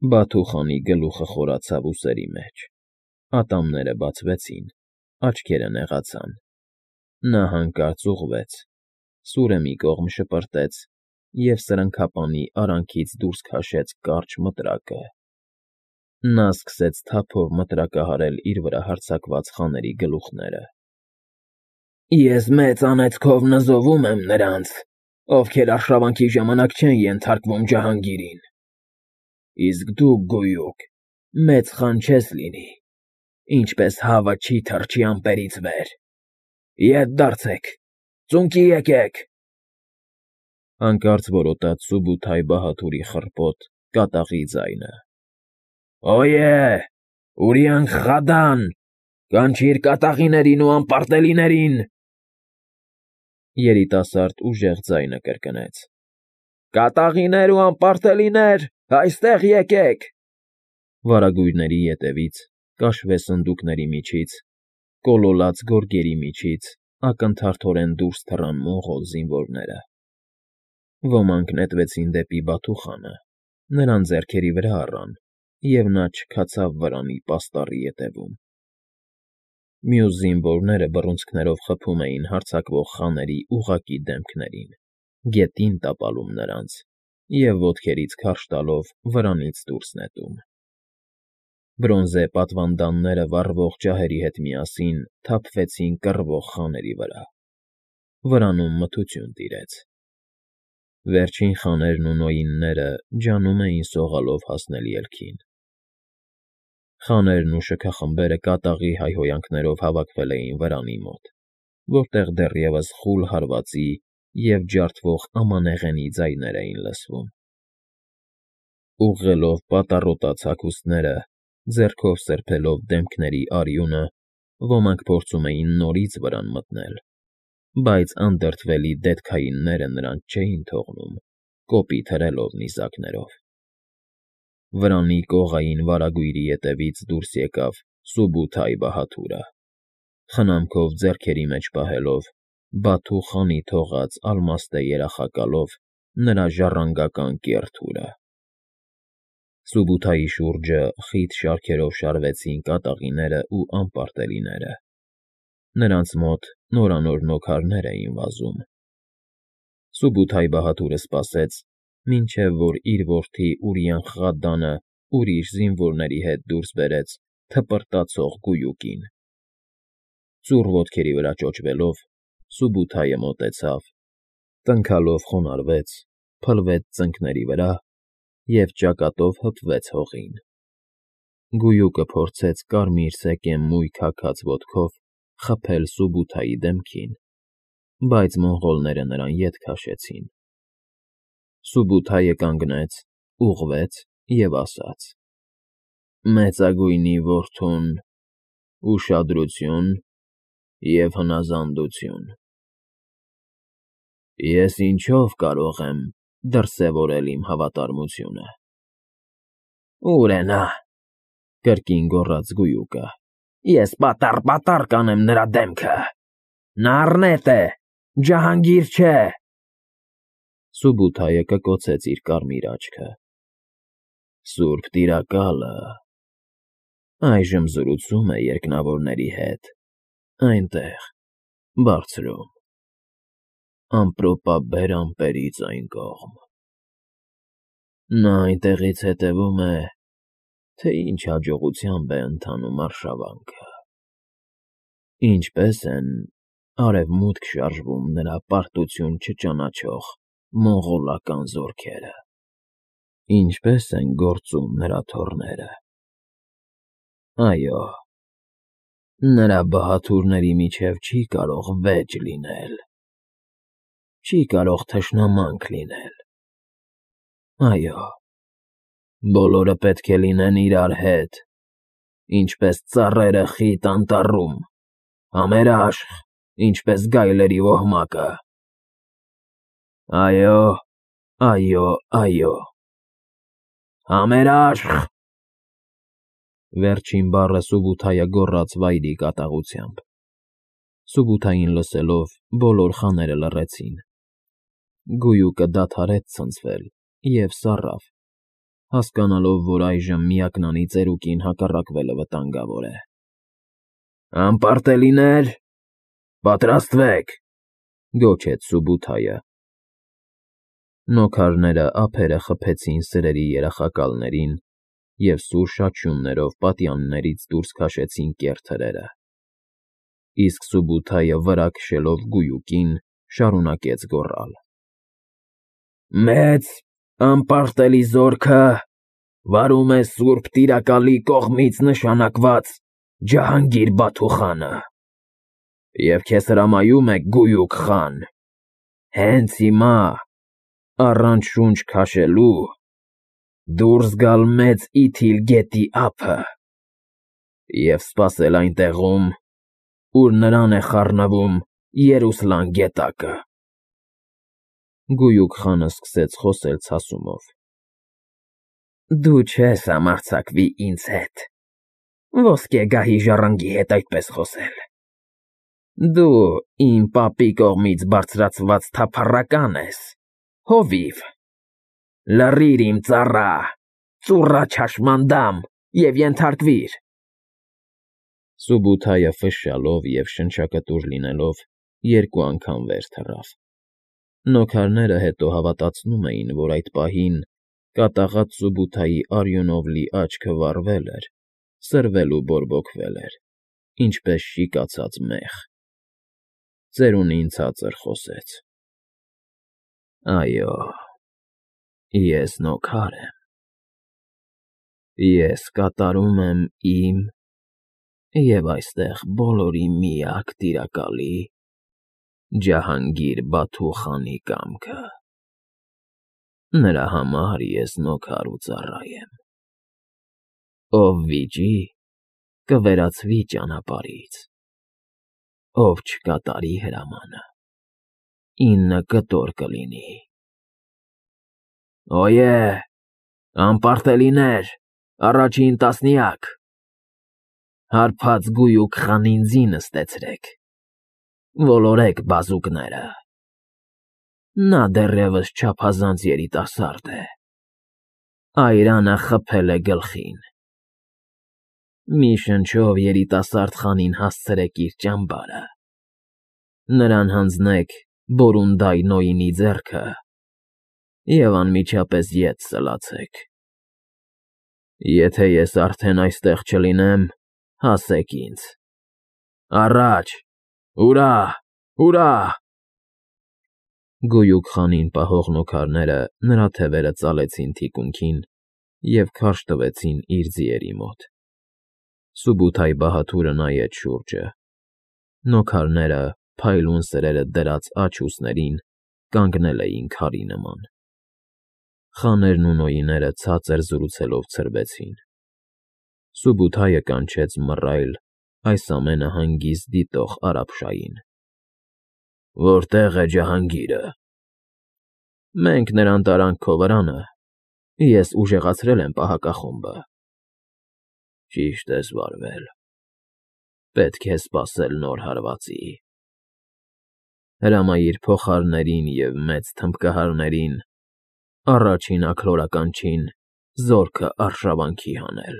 Բաթու խանի գլուխը խորացավ ուսերի մեջ, ատամները բացվեցին, աչքերը նեղացան, նա հանկարծ ուղղվեց, սուրը մի կողմ շպրտեց և սրընքապանի արանքից դուրս քաշեց կարճ մտրակը. նա սկսեց թափով մտրակահարել իր վրա հարձակված խաների գլուխները։ Ես մեծ անեծքով նզովում եմ նրանց, ովքեր արշավանքի ժամանակ չեն ենթարկվում ջահանգիրին, իսկ դու, գույուկ, մեծ խան չես լինի, ինչպես հավը չի թռչի ամպերից վեր, ետ դարձեք, ծունկի եկեք… Հանկարծ որոտաց Սուբութայ բահադուրի խռպոտ, կատաղի ձայնը. Օյե, Ուրիանք Խադան, կանչիր կատաղիներին ու անպարտելիներին… Երիտասարդ ուժեղ ձայնը կրկնեց. Կատաղիներ ու անպարտելիներ, այստեղ եկեք… Վարագույրների ետևից, կաշվե սնդուկների միջից, կոլոլած գորգերի միջից ակնթարթորեն դուրս թռան մոնղոլ զինվորները։ Ոմանք նետվեցին դեպի Բաթու խանը, նրան ձեռքերի վրա առան, և նա չքացավ վրանի պաստառի ետևում։ Մյուս զինվորները բռունցքներով խփում էին հարձակվող խաների ուղղակի դեմքներին, գետին տապալում նրանց և ոտքերից քարշ տալով վրանից դուրս նետում։ Բրոնզե պատվանդանները վառվող ջահերի հետ միասին թափվեցին կռվող խաների վրա։ Վրանում մթություն տիրեց։ Վերջին խաներն ու նոյինները ջանում էին սողալով հասնել ելքին։ Խաներն ու շքախմբերը կատաղի հայհոյանքներով հավաքվել էին վրանի մոտ, որտեղ դեռևս խուլ հարվածի և ջարդվող ամանեղենի ձայներ էին լսվում։ Ուղղելով պատառոտած հագուստները, ձեռքով սրբելով դեմքների արյունը, ոմանք փորձում էին նորից վրան մտնել, բայց անդրդվելի դետքայինները նրանց չէին թողնում, կոպիտ հրելով նիզակներով։ Վրանի կողային վարագույրի ետևից դուրս եկավ Սուբութայ բահադուրը, խնամքով ձեռքերի մեջ պահելով Բաթու խանի թողած ալմաստե երախակալով նրա ժառանգական կեռ թուրը։ Սուբութայի շուրջը խիտ շարքերով շարվեցին կատաղիներն ու անպարտելիները։ Նրանց մոտ նորանոր նոքարներ էին վազում։ Սուբութայ բահադուրը սպասեց, մինչև որ իր որդի Ուրիանխղադանը ուրիշ զինվորների հետ դուրս բերեց թպրտացող գույուկին։ Ծուռ ոտքերի վրա ճոճվելով՝ Սուբութայը մոտեցավ, տնքալով խոնարհվեց, փլվեց ծնկների վրա և ճակատով հպվեց հողին։ Գույուկը փորձեց կարմիր սեկեմ-մույք հագած ոտքով խփել Սուբութայի դեմքին, բայց մոնղոլները նրան ետ քաշեցին։ Սուբութայը կանգնեց, ուղղվեց և ասաց. Մեծագույնի որդուն ուշադրություն և հնազանդություն… Ես ինչո՞վ կարող եմ դրսևորել իմ հավատարմությունը… Ո՞ւր է նա,֊ կրկին գոռաց գույուկը։ Ես պատառ կանեմ նրա դեմքը… Նա առնետ է, ջահանգիր չէ… Սուբութայը կկոցեց իր կարմիր աչքը։ Սուրբ տիրակալը… Այժմ զրուցում է երկնավորների հետ, այնտեղ, բարձրում, ամպրոպաբեր ամպերից այն կողմ… Նա այնտեղից հետևում է, թե ինչ հաջողությամբ է ընթանում արշավանքը, ինչպես են արևմուտք շարժվում նրա պարտություն չճանաչող մոնղոլական զորքերը, ինչպես են գործում նրա թոռները… Այո, նրա բահադուրների միջև չի կարող վեճ լինել, չի կարող թշնամանք լինել… Այո, բոլորը պետք է լինեն իրար հետ, ինչպես ծառերը խիտ անտառում, համերաշխ, ինչպես գայլերի ոհմակը… Այո, այո, այո… Համերաշխ… Վերջին բառը Սուբութայը գոռաց վայրի կատաղությամբ։ Սուբութային լսելով՝ բոլոր խաները լռեցին։ Գույուկը դադարեց ցնցվել և սառավ, հասկանալով, որ այժմ միակնանի ծերուկին հակառակվելը վտանգավոր է։ Անպարտելիներ, պատրաստվեք, Գոչեց Սուբութայը։ Նոքարները ափերը խփեցին սրերի երախակալներին և սուր շաչյուններով պատյաններից դուրս քաշեցին կեռ թրերը։ Իսկ Սուբութայը վրա քշելով գույուկին, շարունակեց գոռալ. Մեծ անպարտելի զորքը վարում է Սուրբ Տիրակալի կողմից նշանակված Ջահանգիր Բաթուխանը, և քեզ հրամայում է գույուկ խան, հենց հիմա, առանց շունչ քաշելու, դուրս գալ Մեծ Իթիլ գետի ափը և սպասել այնտեղում, ուր նրան է խառնվում Երուսլան գետակը։ Գույուկ խանը սկսեց խոսել ցասումով. Դու չես համարձակվի ինձ հետ, ոսկե գահի ժառանգի հետ այդպես խոսել։ Դու իմ պապի կողմից բարձրացված թափառական ես, հովիվ, լռիր իմ ծառա, ծուռա չաշմանդամ և ենթարկվիր։ Սուբութայը ֆշշալով և շնչակտուր լինելով երկու անգամ վեր թռավ։ Նոքարները հետո հավատացնում էին, որ այդ պահին կատաղած Սուբութայի արյունով լի աչքը վառվել էր, սրվել ու բորբոքվել էր, ինչպես շիկացած մեղ։ Ծերունին ցածր խոսեց. Այո, ես նոքար եմ։ Ես կատարում եմ իմ և այստեղ բոլորի միակ տիրակալի Ջահանգիր Բաթու խանի կամքը։ Նրա համար ես նոքար ու ծառա եմ։ Ով վիճի, կվերածվի ճանապարհից, ով չկատարի հրամանը, 9 կտոր կլինի։ Օյե, անպարտելիներ, առաջին տասնյակ, հարբած գույուկ խանին ձի նստեցրեք, ոլորեք բազուկները։ Նա դեռևս չափազանց երիտասարդ է, այրանը խփել է գլխին։ Մի շնչով երիտասարդ խանին հասցրեք իր ճամբարը, նրան հանձնեք Բորունդայ ձեռքը և անմիջապես ետ սլացեք։ Եթե ես արդեն այստեղ չլինեմ, հասեք ինձ։ Առաջ, հուրա, հուրա։ Գույուկ խանին պահող նոքարները նրա թևերը ծալեցին թիկունքին և քարշ տվեցին իր ձիերի մոտ։ Սուբութայ բահադուրը նայեց շուրջը։ Նոքարները, փայլուն սրերը դրած աջ ուսներին, կանգնել էին քարի նման։ Խաներն ու նոյիները ցածր զրուցելով ցրվեցին։ Սուբութայը կանչեց մռայլ, այս ամենը հանգիստ դիտող արաբշային. Որտե՞ղ է Ջահանգիրը։ Մենք նրան տարանք քո վրանը, ես ուժեղացրել եմ պահակախումբը։ Ճիշտ ես վարվել, պետք է սպասել նոր հարվածի։ Հրամայիր փողահարներին և մեծ թմբկահարներին առաջին աքլորականչին զորքը արշավանքի հանել։